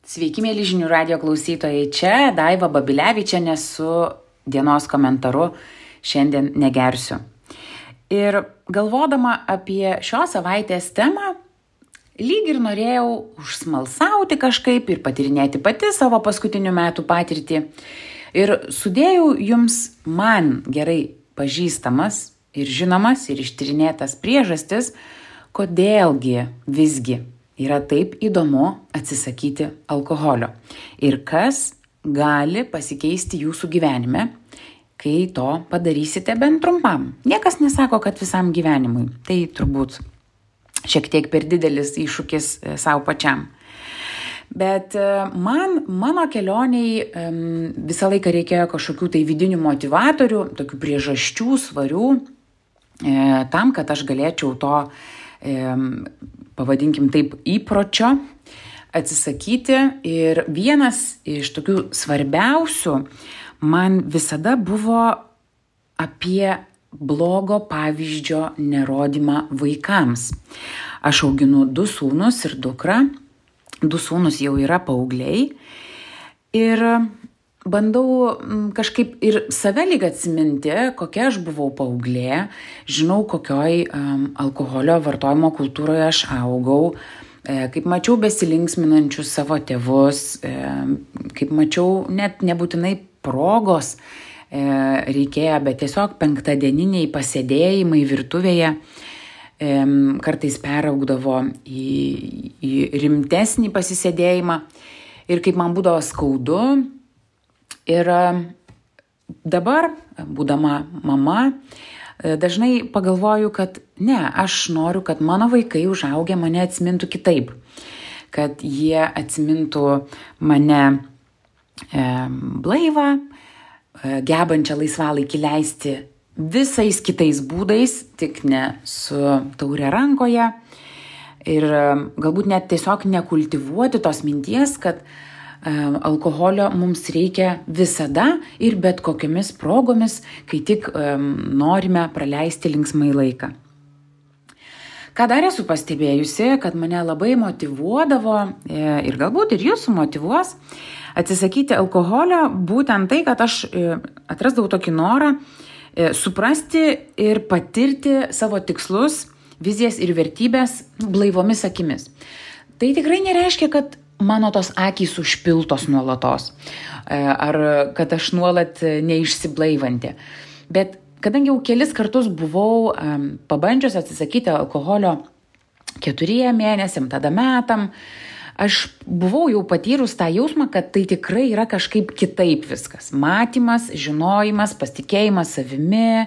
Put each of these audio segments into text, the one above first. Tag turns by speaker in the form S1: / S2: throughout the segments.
S1: Sveiki, mėly žinių radijo klausytojai. Čia Daiva Babilevičienė su dienos komentaru Šiandien negersiu. Ir galvodama apie šios savaitės temą, lyg ir norėjau užsmalsauti kažkaip ir patyrinėti pati savo paskutinių metų patirtį. Ir sudėjau jums man gerai pažįstamas ir žinomas ir ištyrinėtas priežastis, kodėlgi visgi yra taip įdomu atsisakyti alkoholio ir kas gali pasikeisti jūsų gyvenime, kai to padarysite bent trumpam. Niekas nesako, kad visam gyvenimui. Tai turbūt šiek tiek per didelis iššūkis savo pačiam. Bet mano kelioniai visą laiką reikėjo kažkokių tai vidinių motivatorių, tokių priežasčių, svarių, tam, kad aš galėčiau to pavadinkim taip, įpročio atsisakyti. Ir vienas iš tokių svarbiausių man visada buvo apie blogo pavyzdžio nerodymą vaikams. Aš auginu 2 sūnus ir dukrą. 2 sūnus jau yra paaugliai. Ir bandau kažkaip ir save lyg atsiminti, kokia aš buvau paauglė, žinau, kokioj alkoholio vartojimo kultūroje aš augau, kaip mačiau besilinksminančius savo tėvus, kaip mačiau net nebūtinai progos reikėjo, bet tiesiog penktadieniniai pasėdėjimai virtuvėje kartais peraugdavo į rimtesnį pasisėdėjimą ir kaip man būdavo skaudu. Ir dabar, būdama mama, dažnai pagalvoju, kad ne, aš noriu, kad mano vaikai užaugę mane atsimintų kitaip. Kad jie atsimintų mane blaivą, gebančią laisvalaikį leisti visais kitais būdais, tik ne su taure rankoje. Ir galbūt net tiesiog nekultivuoti tos minties, kad alkoholio mums reikia visada ir bet kokiamis progomis, kai tik norime praleisti linksmai laiką. Ką dar esu pastebėjusi, kad mane labai motyvuodavo ir galbūt ir jūsų motyvuos atsisakyti alkoholio, būtent tai, kad aš atrasdavau tokį norą suprasti ir patirti savo tikslus, vizijas ir vertybės blaivomis akimis. Tai tikrai nereiškia, kad mano tos akys užpiltos nuolatos, ar kad aš nuolat neišsiblaivanti. Bet kadangi jau kelis kartus buvau pabandžius atsisakyti alkoholio 4 mėnesiam, tada metam, aš buvau jau patyrus tą jausmą, kad tai tikrai yra kažkaip kitaip viskas. Matymas, žinojimas, pasitikėjimas savimi,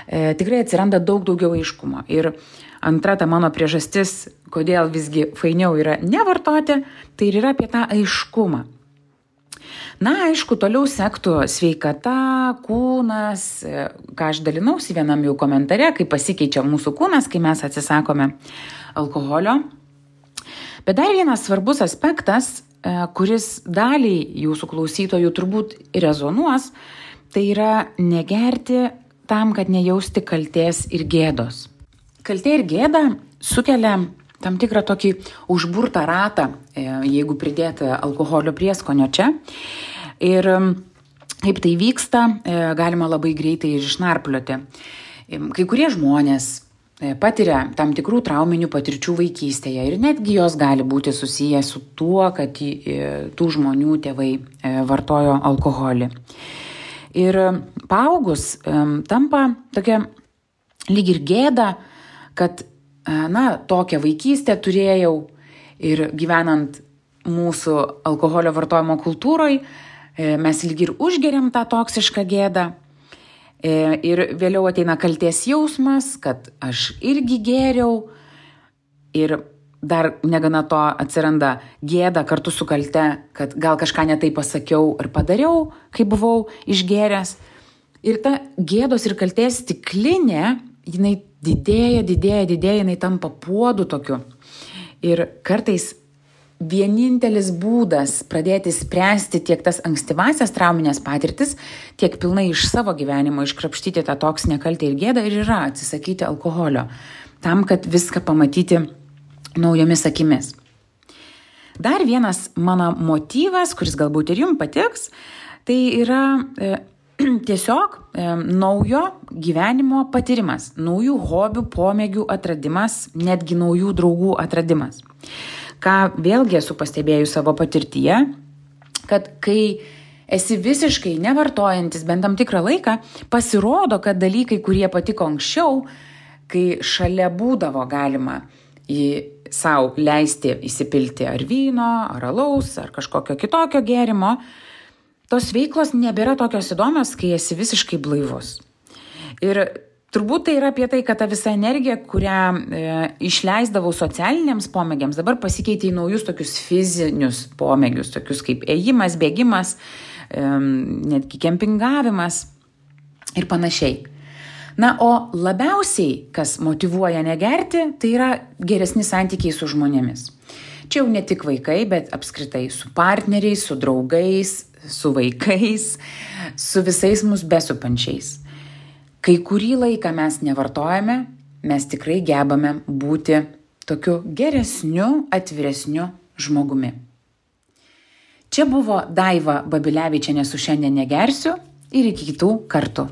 S1: tikrai atsiranda daug daugiau aiškumo. Ir antra ta mano priežastis, kodėl visgi fainiau yra nevartoti, tai ir yra apie tą aiškumą. Na, aišku, toliau sektų sveikata, kūnas, ką aš dalinausi vienam jau komentare, kaip pasikeičia mūsų kūnas, kai mes atsisakome alkoholio. Bet dar vienas svarbus aspektas, kuris daliai jūsų klausytojų turbūt rezonuos, tai yra negerti tam, kad nejausti kaltės ir gėdos. Kaltė ir gėda sukelia tam tikrą tokį užburtą ratą, jeigu pridėti alkoholio prieskonio čia. Ir kaip tai vyksta, galima labai greitai išnarplioti. Kai kurie žmonės patiria tam tikrų trauminių patirčių vaikystėje ir netgi jos gali būti susiję su tuo, kad tų žmonių tėvai vartojo alkoholį. Ir paaugus tampa tokia lyg ir gėda, kad tokią vaikystę turėjau ir gyvenant mūsų alkoholio vartojimo kultūroje, mes lyg ir užgeriam tą toksišką gėdą. Ir vėliau ateina kaltės jausmas, kad aš irgi gėriau ir dar negana to atsiranda gėda kartu su kalte, kad gal kažką netai pasakiau ir padariau, kai buvau išgėręs. Ir ta gėdos ir kaltės stiklinė, jinai didėja, jinai tampa puodu tokiu. Ir kartais vienintelis būdas pradėti spręsti tiek tas ankstyvasias trauminės patirtis, tiek pilnai iš savo gyvenimo iškrapštyti tą toksinę kaltę ir gėdą ir yra atsisakyti alkoholio, tam, kad viską pamatyti naujomis akimis. Dar vienas mano motyvas, kuris galbūt ir jums patiks, tai yra tiesiog naujo gyvenimo patyrimas, naujų hobių, pomėgių atradimas, netgi naujų draugų atradimas. Ką vėlgi esu pastebėjus savo patirtyje, kad kai esi visiškai nevartojantis bent tam tikrą laiką, pasirodo, kad dalykai, kurie patiko anksčiau, kai šalia būdavo galima sau leisti įsipilti ar vyno, ar alaus, ar kažkokio kitokio gėrimo, tos veiklos nebėra tokios įdomios, kai esi visiškai blaivus. Ir turbūt tai yra apie tai, kad ta visa energija, kurią išleisdavau socialiniams pomėgiams, dabar pasikeitė į naujus tokius fizinius pomėgius, tokius kaip ėjimas, bėgimas, netgi kempingavimas ir panašiai. Na, o labiausiai, kas motyvuoja negerti, tai yra geresni santykiai su žmonėmis. Čia jau ne tik vaikai, bet apskritai su partneriais, su draugais, su vaikais, su visais mus besupančiais. Kai kurį laiką mes nevartojame, mes tikrai gebame būti tokiu geresniu, atviresniu žmogumi. Čia buvo Daiva Babilevičienė su Šiandien negersiu ir iki kitų kartų.